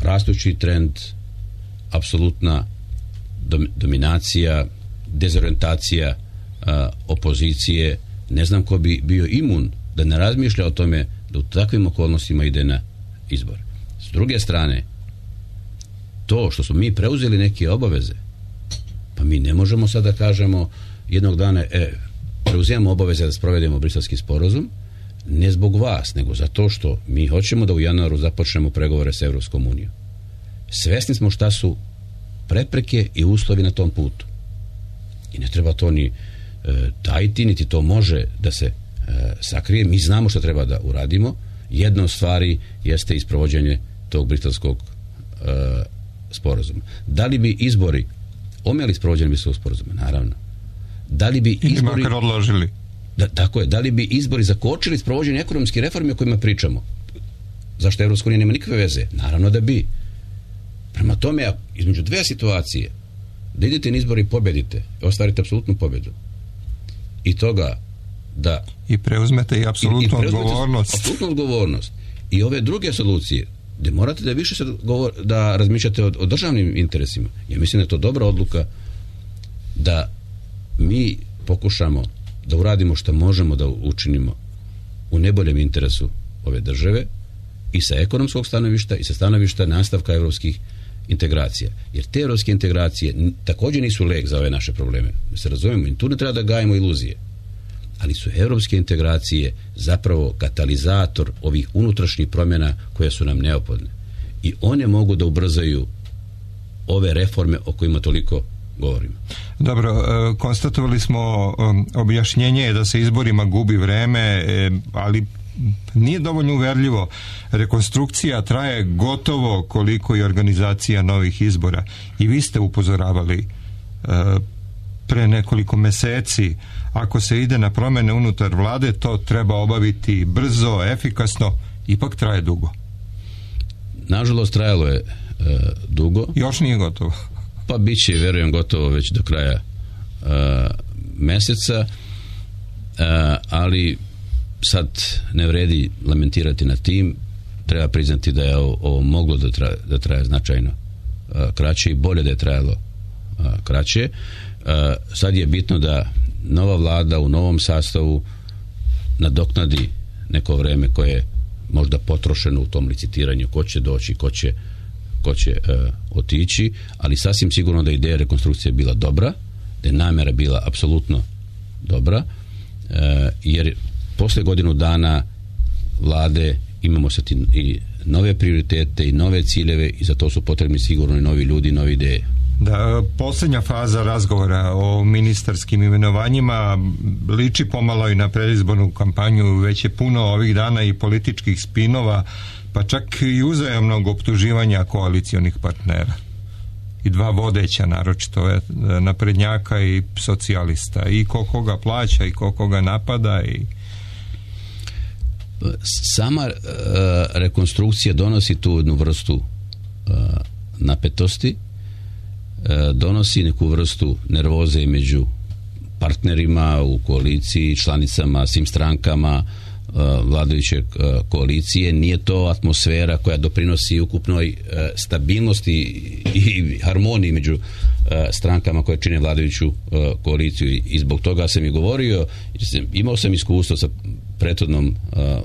Rastući trend, apsolutna dom, dominacija, dezorientacija a, opozicije, ne znam ko bi bio imun da ne razmišlja o tome da u takvim okolnostima ide na izbor. S druge strane, to što smo mi preuzeli neke obaveze, pa mi ne možemo sada da kažemo jednog dana, e, preuzimamo obaveze da sprovedemo briselski sporazum, ne zbog vas, nego zato što mi hoćemo da u januaru započnemo pregovore s Evropskom unijom. Svesni smo šta su prepreke i uslovi na tom putu. I ne treba to ni e, tajiti, niti to može da se e, sakrije. Mi znamo šta treba da uradimo. Jedna od stvari jeste isprovođenje tog briselskog e, sporazuma. Da li bi izbori omeli sprovođenje briselskog sporazuma? Naravno. Da li bi izbori odložili? Da, tako je. Da li bi izbori zakočili sprovođenje ekonomske reforme o kojima pričamo? Zašto Evropska unija nema nikakve veze? Naravno da bi. Prema tome, između dve situacije, da idete na izbori i pobedite, ostvarite apsolutnu pobedu, i toga da i preuzmete i apsolutnu odgovornost. Apsolutnu odgovornost. I ove druge solucije, gde morate da više sad govor, da razmišljate o, o državnim interesima. Ja mislim da je to dobra odluka da mi pokušamo da uradimo što možemo da učinimo u neboljem interesu ove države i sa ekonomskog stanovišta i sa stanovišta nastavka evropskih integracija. Jer te evropske integracije također nisu lek za ove naše probleme. Da se razumemo, i tu ne treba da gajimo iluzije. ali su evropske integracije zapravo katalizator ovih unutrašnjih promjena koje su nam neophodne. I one mogu da ubrzaju ove reforme o kojima toliko govorimo. Dobro, konstatovali smo objašnjenje da se izborima gubi vreme, ali nije dovoljno uverljivo. Rekonstrukcija traje gotovo koliko i organizacija novih izbora. I vi ste upozoravali pre nekoliko meseci, ako se ide na promjene unutar vlade, to treba obaviti brzo, efikasno, ipak traje dugo. Nažalost, trajalo je e, dugo. Još nije gotovo. Pa bit će, verujem, gotovo već do kraja e, meseca, e, ali sad ne vredi lamentirati nad tim. Treba priznati da je ovo, ovo moglo da traje, da traje značajno e, kraće i bolje da je trajalo e, kraće. E, sad je bitno da nova vlada u novom sastavu nadoknadi neko vreme koje je možda potrošeno u tom licitiranju, ko će doći, ko će, ko će e, otići, ali sasvim sigurno da ideja rekonstrukcije bila dobra, da je namjera bila apsolutno dobra, e, jer posle godinu dana vlade imamo sad i nove prioritete i nove ciljeve i za to su potrebni sigurno i novi ljudi, nove ideje. Da, posljednja faza razgovora o ministarskim imenovanjima liči pomalo i na predizbornu kampanju, već je puno ovih dana i političkih spinova, pa čak i uzajamnog optuživanja koalicionih partnera. I dva vodeća, naročito je naprednjaka i socijalista. I ko koga plaća i ko koga napada. I... Sama uh, rekonstrukcija donosi tu jednu vrstu uh, napetosti, donosi neku vrstu nervoze među partnerima u koaliciji, članicama, svim strankama vladajuće koalicije. Nije to atmosfera koja doprinosi ukupnoj stabilnosti i harmoniji među strankama koje čine vladajuću koaliciju i zbog toga sam i govorio, imao sam iskustvo sa prethodnom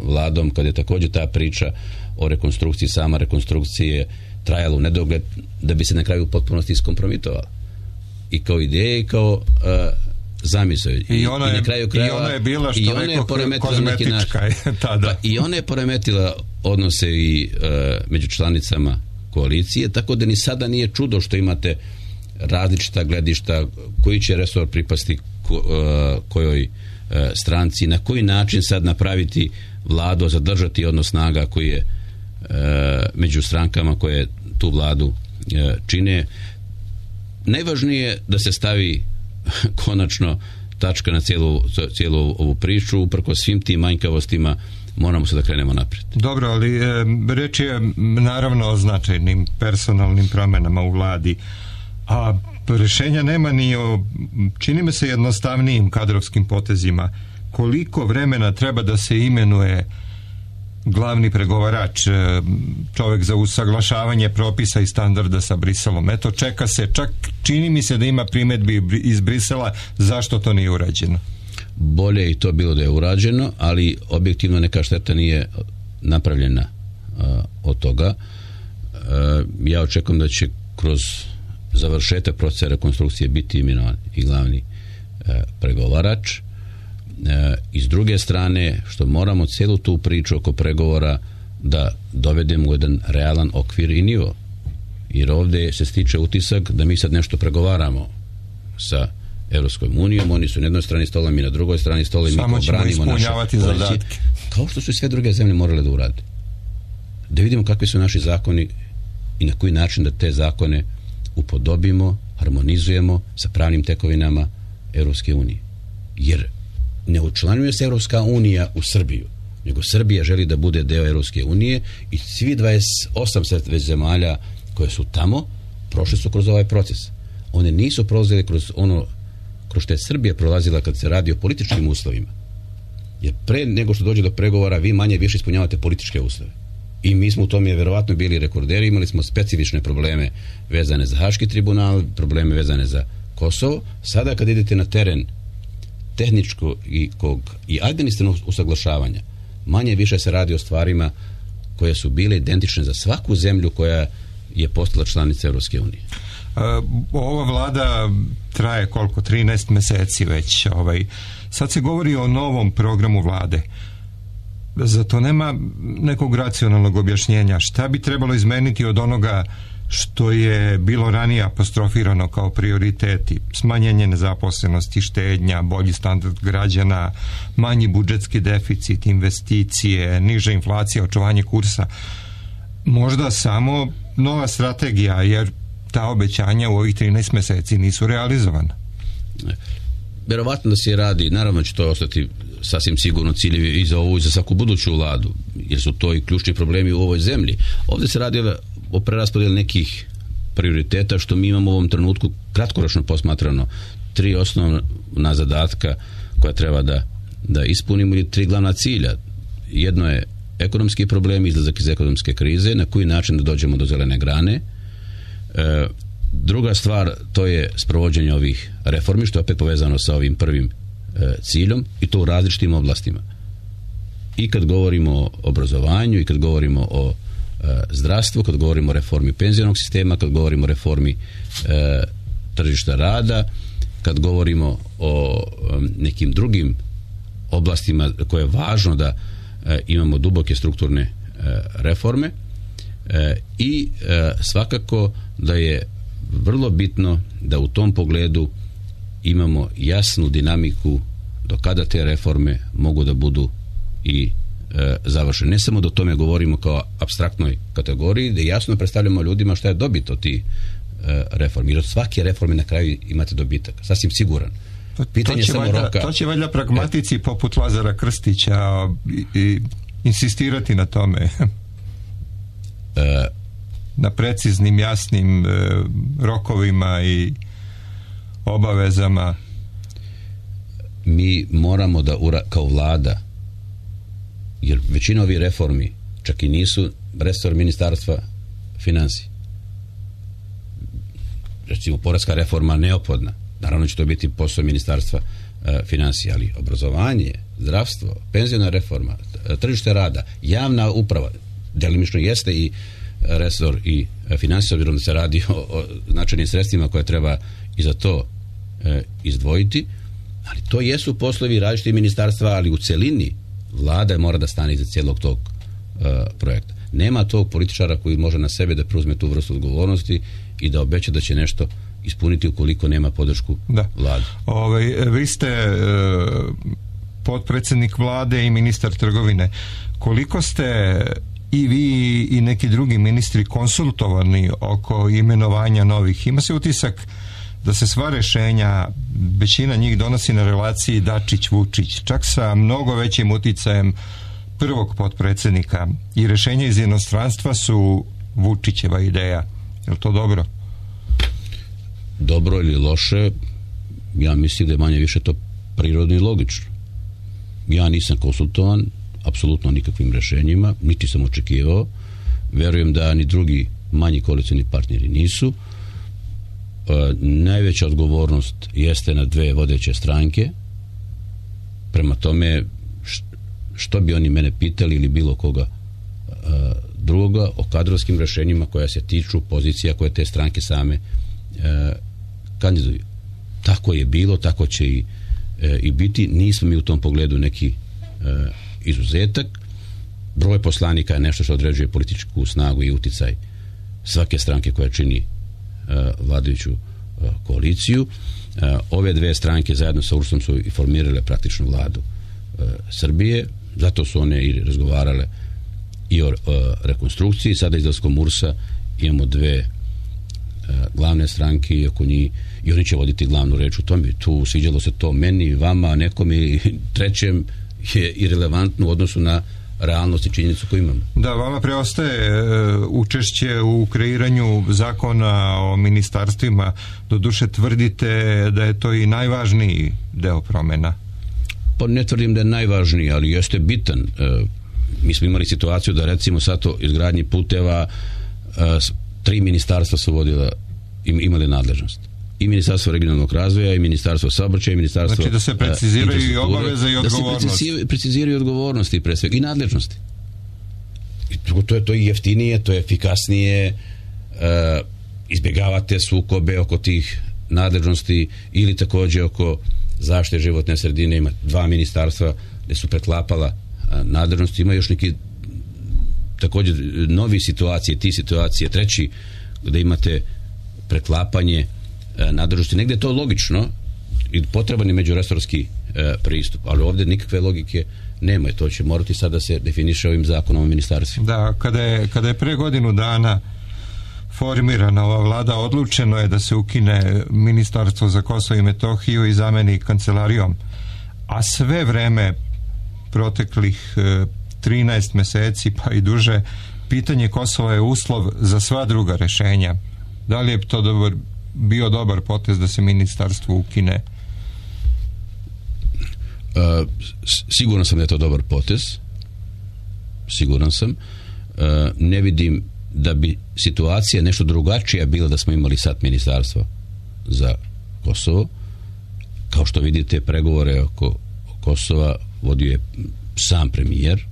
vladom kad je također ta priča o rekonstrukciji, sama rekonstrukcije trajalo u nedogled da bi se na kraju u potpunosti iskompromitovala. I kao ideje i kao uh, zamisao. I, I, ona je, i na kraju krajeva, i ona je bila što rekao kozmetička. Pa, I ona je poremetila odnose i uh, među članicama koalicije, tako da ni sada nije čudo što imate različita gledišta koji će resor pripasti ko, uh, kojoj uh, stranci, na koji način sad napraviti vladu, zadržati odnos snaga koji je E, među strankama koje tu vladu e, čine. Najvažnije je da se stavi konačno tačka na cijelu, cijelu ovu priču. Uprkos svim tim manjkavostima moramo se da krenemo naprijed. Dobro, ali e, reč je naravno o značajnim personalnim promjenama u vladi, a rješenja nema ni o, čini me se, jednostavnijim kadrovskim potezima. Koliko vremena treba da se imenuje glavni pregovarač, čovjek za usaglašavanje propisa i standarda sa Briselom? Eto, čeka se, čak čini mi se da ima primjedbi iz Brisela, zašto to nije urađeno? Bolje i to bilo da je urađeno, ali objektivno neka šteta nije napravljena uh, od toga. Uh, ja očekujem da će kroz završetak procesa rekonstrukcije biti imenovan i glavni uh, pregovarač. I s druge strane, što moramo cijelu tu priču oko pregovora da dovedemo u jedan realan okvir i nivo. Jer ovdje se stiče utisak da mi sad nešto pregovaramo sa Evropskom unijom, oni su na jednoj strani stola, mi na drugoj strani stola i mi samo ćemo ispunjavati zadatke. Kao što su i sve druge zemlje morale da urade. Da vidimo kakvi su naši zakoni i na koji način da te zakone upodobimo, harmonizujemo sa pravnim tekovinama Evropske unije. Jer ne učlanjuje se Evropska unija u Srbiju, nego Srbija želi da bude deo Evropske unije i svi dvadeset osam već zemalja koje su tamo prošli su kroz ovaj proces. One nisu prolazile kroz ono kroz što je Srbija prolazila kad se radi o političkim uslovima. Jer pre nego što dođe do pregovora vi manje više ispunjavate političke uslove. I mi smo u tome verovatno bili rekorderi, imali smo specifične probleme vezane za Haški tribunal, probleme vezane za Kosovo. Sada kad idete na teren tehničko i, kog, i administrativnog usaglašavanja, manje više se radi o stvarima koje su bile identične za svaku zemlju koja je postala članica Evropske unije. Ova vlada traje koliko? trinaest meseci već. Ovaj, Sad se govori o novom programu vlade. Zato nema nekog racionalnog objašnjenja. Šta bi trebalo izmeniti od onoga što je bilo ranije apostrofirano kao prioriteti? Smanjenje nezaposlenosti, štednja, bolji standard građana, manji budžetski deficit, investicije, niža inflacija, očuvanje kursa. Možda samo nova strategija, jer ta obećanja u ovih trinaest meseci nisu realizovana. Verovatno da se radi, naravno će to ostati sasvim sigurno ciljevi i za ovu i za svaku buduću vladu, jer su to i ključni problemi u ovoj zemlji. Ovdje se radi o preraspodjeli nekih prioriteta što mi imamo u ovom trenutku kratkoročno posmatrano tri osnovna zadatka koja treba da, da ispunimo, ili tri glavna cilja. Jedno je ekonomski problem, izlazak iz ekonomske krize, na koji način da dođemo do zelene grane. E, druga stvar, to je sprovođenje ovih reformi, što je opet povezano sa ovim prvim e, ciljom, i to u različitim oblastima. I kad govorimo o obrazovanju, i kad govorimo o e, zdravstvu, kad govorimo o reformi penzionog sistema, kad govorimo o reformi e, tržišta rada, kad govorimo o e, nekim drugim oblastima koje je važno da e, imamo duboke strukturne e, reforme, e, i e, svakako da je vrlo bitno da u tom pogledu imamo jasnu dinamiku do kada te reforme mogu da budu i e, završene. Ne samo da o tome govorimo kao apstraktnoj kategoriji, da jasno predstavljamo ljudima šta je dobit od tih e, reformi. Jer od svake reforme na kraju imate dobitak. Sasvim siguran. Pitanje to, će samo valjda, roka. to će valjda pragmatici e, poput Lazara Krstića i, i insistirati na tome. E, na preciznim, jasnim e, rokovima i obavezama. Mi moramo da ura, kao vlada, jer većina ovih reformi čak i nisu resor ministarstva financija. Recimo, poreska reforma neophodna. Naravno će to biti posao ministarstva e, financija, ali obrazovanje, zdravstvo, penzijna reforma, tržište rada, javna uprava, delimično jeste i resor i financija, obzirom da se radi o, o značajnim sredstvima koje treba i za to e, izdvojiti, ali to jesu poslovi različitih ministarstva, ali u celini vlada mora da stane iza cijelog tog e, projekta. Nema tog političara koji može na sebe da preuzme tu vrstu odgovornosti i da obeća da će nešto ispuniti ukoliko nema podršku da. Vlade. Ove, vi ste e, potpredsjednik vlade i ministar trgovine. Koliko ste i vi i neki drugi ministri konsultovani oko imenovanja novih? Ima se utisak da se sva rešenja, većina njih donosi na relaciji Dačić-Vučić, čak sa mnogo većim uticajem prvog potpredsjednika, i rešenja iz inostranstva su Vučićeva ideja. Je li to dobro? Dobro ili loše, ja mislim da je manje više to prirodno i logično. Ja nisam konsultovan apsolutno nikakvim rešenjima, niti sam očekivao. Verujem da ni drugi manji koalicioni partneri nisu. E, najveća odgovornost jeste na dve vodeće stranke. Prema tome, što bi oni mene pitali ili bilo koga e, drugoga o kadrovskim rešenjima koja se tiču pozicija koje te stranke same e, kandiduju. Tako je bilo, tako će i, e, i biti. Nismo mi u tom pogledu neki e, izuzetak. Broj poslanika je nešto što određuje političku snagu i uticaj svake stranke koja čini e, vladajuću e, koaliciju. E, ove dve stranke zajedno sa U R S-om su i formirale praktično vladu e, Srbije, zato su one i razgovarale i o e, rekonstrukciji. Sada izlaskom U R S-a imamo dve e, glavne stranke i oko njih, i oni će voditi glavnu reč u tome. Tu sviđalo se to meni, vama, nekom i trećem je irelevantno u odnosu na realnost i činjenicu koju imamo. Da, vama preostaje e, učešće u kreiranju zakona o ministarstvima. Doduše tvrdite da je to i najvažniji deo promjena. Pa ne tvrdim da je najvažniji, ali jeste bitan. E, mi smo imali situaciju da recimo sad to izgradnji puteva e, tri ministarstva su vodila, im, imali nadležnost. I Ministarstvo regionalnog razvoja, i Ministarstvo saobraćaja, i Ministarstvo... Znači da se preciziraju i obaveze i odgovornosti. Da se preciziraju odgovornosti pre svega i nadležnosti. I to, to, je, to je jeftinije, to je efikasnije, e, izbjegavate sukobe oko tih nadležnosti ili također oko zaštite životne sredine, ima dva ministarstva gdje su preklapala nadležnosti, ima još neki također novi situacije, ti situacije, treći gdje imate preklapanje nadležnosti. Negdje je to logično i potreban je međuresorski pristup, ali ovdje nikakve logike nema i to će morati sada se definiše ovim zakonom o ministarstvima. Da, kada je, kada je pre godinu dana formirana ova vlada, odlučeno je da se ukine Ministarstvo za Kosovo i Metohiju i zameni kancelarijom, a sve vreme proteklih trinaest meseci pa i duže, pitanje Kosova je uslov za sva druga rešenja. Da li je to dobar, bio dobar potez da se ministarstvo ukine? Uh, siguran sam da je to dobar potez, siguran sam. Uh, ne vidim da bi situacija nešto drugačija bila da smo imali sad ministarstvo za Kosovo. Kao što vidite, pregovore oko Kosova vodio je sam premijer.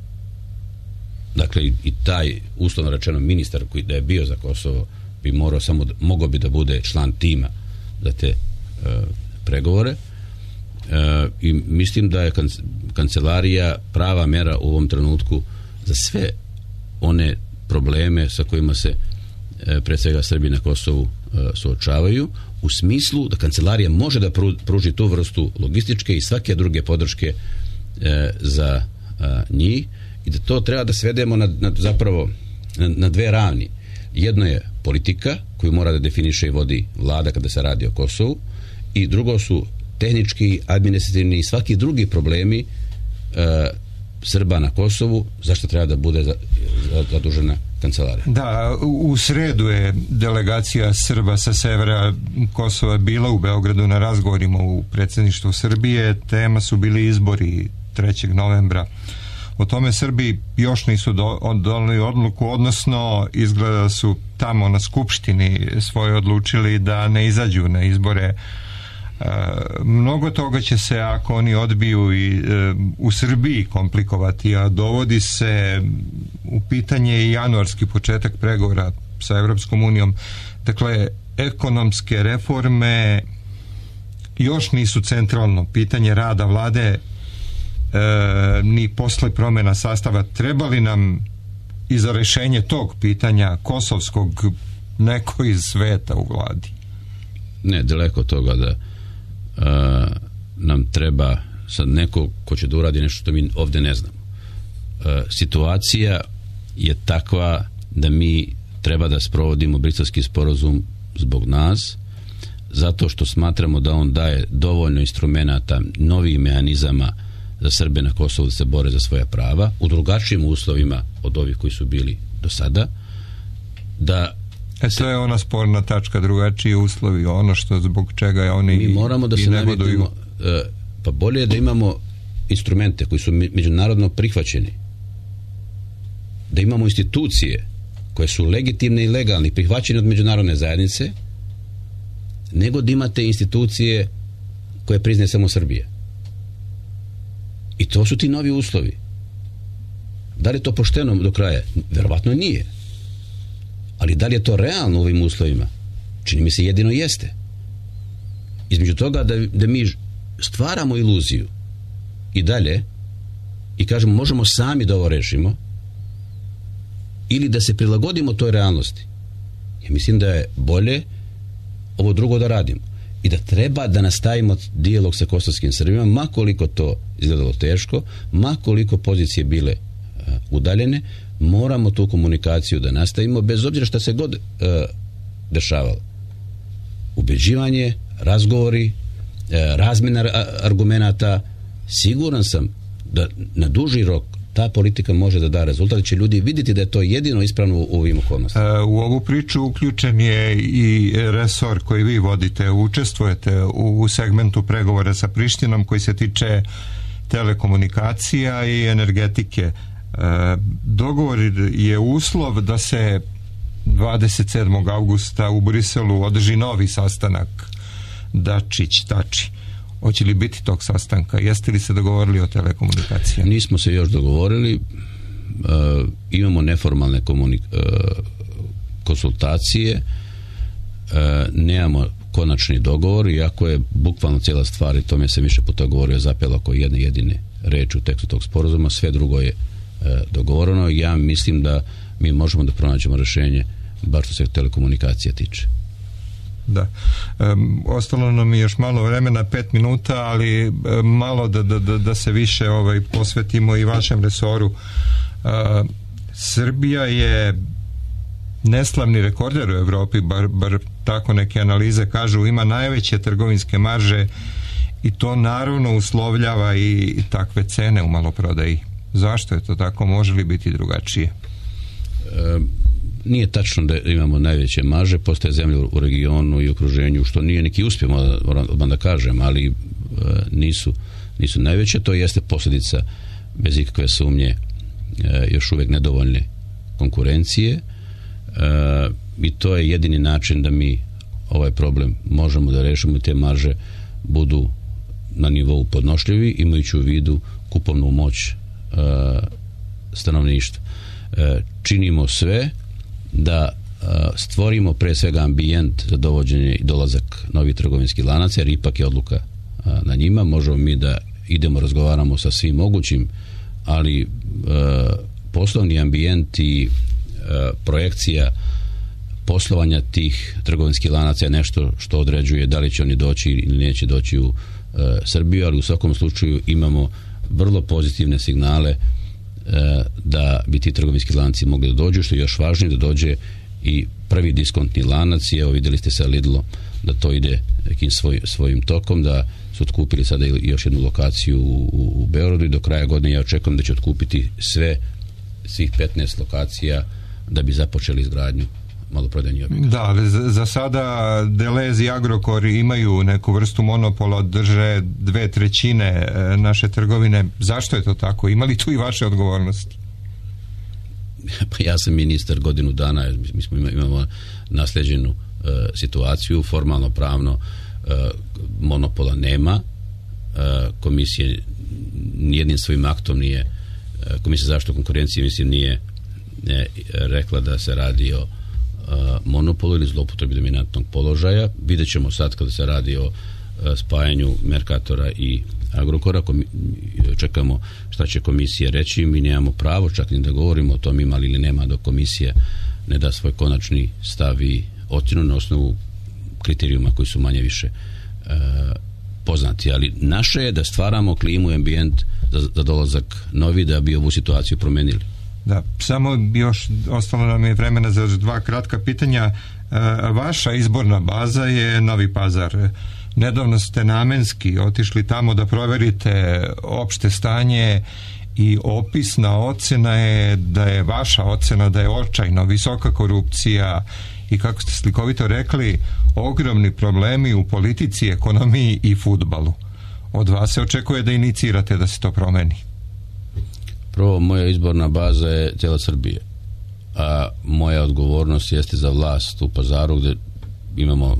Dakle, i taj uslovno rečeno ministar koji da je bio za Kosovo bi morao samo, mogao bi da bude član tima za te uh, pregovore. Uh, i mislim da je kancelarija prava mera u ovom trenutku za sve one probleme sa kojima se uh, pre svega Srbi na Kosovu uh, suočavaju, u smislu da kancelarija može da pruži tu vrstu logističke i svake druge podrške uh, za uh, njih i da to treba da svedemo na, na zapravo na, na dve ravni. Jedno je politika koju mora da definiše i vodi vlada kada se radi o Kosovu i drugo su tehnički, administrativni i svaki drugi problemi e, Srba na Kosovu, zašto treba da bude za, za, zadužena kancelarija. Da, u sredu je delegacija Srba sa severa Kosova bila u Beogradu na razgovorima u predsjedništvu Srbije. Tema su bili izbori trećeg novembra. O tome Srbi još nisu do, doneli odluku, odnosno izgleda su tamo na skupštini svoje odlučili da ne izađu na izbore. Uh, mnogo toga će se, ako oni odbiju, i uh, u Srbiji komplikovati, a dovodi se u pitanje i januarski početak pregovora sa Evropskom unijom. Dakle, ekonomske reforme još nisu centralno pitanje rada vlade, uh, ni posle promjena sastava. Treba li nam i za rešenje tog pitanja kosovskog neko iz sveta u vladi? Ne, daleko toga da Uh, nam treba sad neko ko će da uradi nešto što mi ovdje ne znamo. Uh, situacija je takva da mi treba da sprovodimo Briselski sporazum zbog nas, zato što smatramo da on daje dovoljno instrumenata, novih mehanizama za Srbe na Kosovu da se bore za svoja prava u drugačijim uslovima od ovih koji su bili do sada. Da E to je ona sporna tačka, drugačiji uslovi, ono što zbog čega je oni mi moramo da se navidimo, pa bolje je da imamo instrumente koji su međunarodno prihvaćeni, da imamo institucije koje su legitimne i legalne, prihvaćene od međunarodne zajednice, nego da imate institucije koje priznaje samo Srbija. I to su ti novi uslovi. Da li je to pošteno do kraja? Verovatno nije. Ali da li je to realno u ovim uslovima? Čini mi se jedino jeste. Između toga da, da mi stvaramo iluziju i dalje i kažemo možemo sami da ovo rešimo, ili da se prilagodimo toj realnosti. Ja mislim da je bolje ovo drugo da radimo i da treba da nastavimo dijalog sa kosovskim Srbima, ma koliko to izgledalo teško, ma koliko pozicije bile uh, udaljene, moramo tu komunikaciju da nastavimo bez obzira šta se god uh, dešavalo. Ubeđivanje, razgovori, uh, razmjena argumenata, siguran sam da na duži rok ta politika može da da rezultat, da će ljudi vidjeti da je to jedino ispravno u ovim okolnostima. U ovu priču uključen je i resor koji vi vodite, učestvujete u segmentu pregovora sa Prištinom koji se tiče telekomunikacija i energetike. Dogovor je uslov da se dvadeset sedmog avgusta u Briselu održi novi sastanak Dačić-Tači. Hoće li biti tog sastanka? Jeste li se dogovorili o telekomunikacijama? Nismo se još dogovorili. Uh, imamo neformalne komunik- uh, konsultacije. Uh, nemamo konačni dogovor, iako je bukvalno cijela stvar, i tome se više puta govorio, zapela oko jedne jedine reči u tekstu tog sporazuma, sve drugo je e, dogovoreno. Ja mislim da mi možemo da pronađemo rješenje, bar što se telekomunikacija tiče. Da. E, ostalo nam je još malo vremena, pet minuta, ali e, malo da, da, da, da se više ovaj, posvetimo i vašem resoru. E, Srbija je neslavni rekorder u Evropi, bar, bar tako neke analize kažu, ima najveće trgovinske marže i to naravno uslovljava i takve cene u maloprodaji. Zašto je to tako? Može li biti drugačije? E, nije tačno da imamo najveće marže, postoje zemlje u regionu i okruženju, što nije neki uspjeh, moram da kažem, ali e, nisu, nisu najveće. To jeste posljedica, bez ikakve sumnje, e, još uvijek nedovoljne konkurencije. E, i to je jedini način da mi ovaj problem možemo da rešimo i te marže budu na nivou podnošljivi, imajući u vidu kupovnu moć e, stanovništva. E, činimo sve da e, stvorimo pre svega ambijent za dovođenje i dolazak novih trgovinskih lanaca, jer ipak je odluka e, na njima. Možemo mi da idemo, razgovaramo sa svim mogućim, ali e, poslovni ambijent i projekcija poslovanja tih trgovinskih lanaca je nešto što određuje da li će oni doći ili neće doći u e, Srbiju, ali u svakom slučaju imamo vrlo pozitivne signale e, da bi ti trgovinski lanci mogli da dođu, što je još važnije da dođe i prvi diskontni lanac. I evo, vidjeli ste sa Lidlom da to ide nekim svoj, svojim tokom, da su otkupili sada još jednu lokaciju u, u, u Beogradu i do kraja godine ja očekujem da će otkupiti sve, svih petnaest lokacija da bi započeli izgradnju maloprodajnih objekata. Da, ali za, za sada Deleuze i Agrokor imaju neku vrstu monopola, drže dve trećine naše trgovine. Zašto je to tako? Ima li tu i vaše odgovornosti? Pa ja sam ministar godinu dana, mi smo imamo nasleđenu uh, situaciju, formalno pravno uh, monopola nema. Uh, komisije nijednim svojim aktom nije, uh, Komisija za zaštitu konkurencije mislim nije ne, rekla da se radi o uh, monopolu ili zloupotrebi dominantnog položaja. Vidjet ćemo sad kada se radi o uh, spajanju Mercatora i Agrokora. Komi- čekamo šta će komisija reći. Mi nemamo pravo čak ni da govorimo o tom ima ili nema, dok komisija ne da svoj konačni stav i ocjenu na osnovu kriterijuma koji su manje više uh, poznati. Ali naše je da stvaramo klimu i ambijent za, za dolazak novi, da bi ovu situaciju promenili. Da, samo još ostalo nam je vremena za dva kratka pitanja. E, vaša izborna baza je Novi Pazar. Nedavno ste namenski otišli tamo da proverite opšte stanje i opisna ocena je da je vaša ocena da je očajno visoka korupcija i, kako ste slikovito rekli, ogromni problemi u politici, ekonomiji i fudbalu. Od vas se očekuje da inicirate da se to promeni. Prvo, moja izborna baza je cijela Srbije, a moja odgovornost jeste za vlast u Pazaru, gdje imamo uh,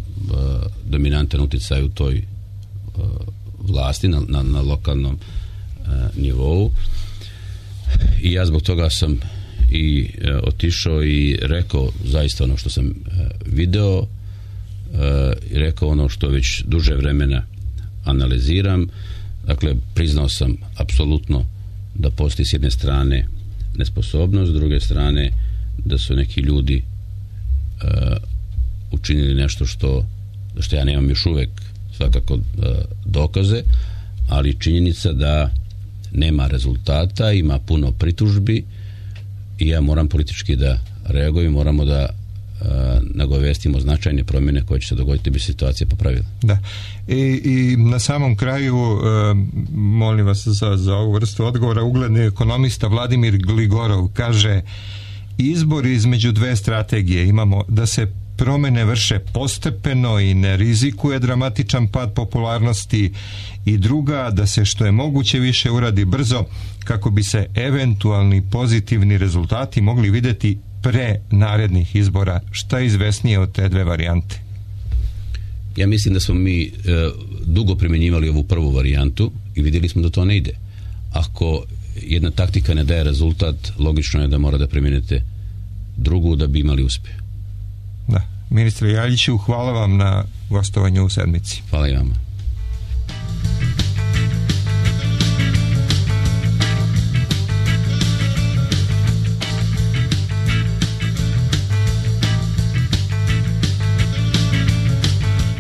dominantan utjecaj u toj uh, vlasti na, na, na lokalnom uh, nivou. I ja zbog toga sam i uh, otišao i rekao zaista ono što sam uh, video uh, i rekao ono što već duže vremena analiziram. Dakle, priznao sam apsolutno da postoji s jedne strane nesposobnost, s druge strane da su neki ljudi uh, učinili nešto što, što ja nemam još uvek svakako uh, dokaze, ali činjenica da nema rezultata, ima puno pritužbi i ja moram politički da reagujem, moramo da uh, nagovestimo značajne promjene koje će se dogoditi da bi situacija popravila. Da. I, i na samom kraju uh, molim vas za, za ovu vrstu odgovora. Ugledni ekonomista Vladimir Gligorov kaže: izbor između dve strategije imamo da se promene vrše postepeno i ne rizikuje dramatičan pad popularnosti, i druga da se što je moguće više uradi brzo kako bi se eventualni pozitivni rezultati mogli vidjeti pre narednih izbora. Šta je izvesnije od te dve varijante? Ja mislim da smo mi e, dugo primjenjivali ovu prvu varijantu i vidjeli smo da to ne ide. Ako jedna taktika ne daje rezultat, logično je da mora da primjenite drugu da bi imali uspjeh. Da. Ministre Ljaljiću, hvala vam na gostovanju u Sedmici. Hvala i vama.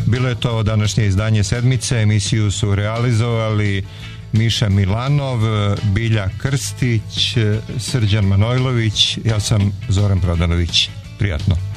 Bilo je to današnje izdanje Sedmice. Emisiju su realizovali Miša Milanov, Bilja Krstić, Srđan Manojlović, ja sam Zoran Prodanović. Prijatno.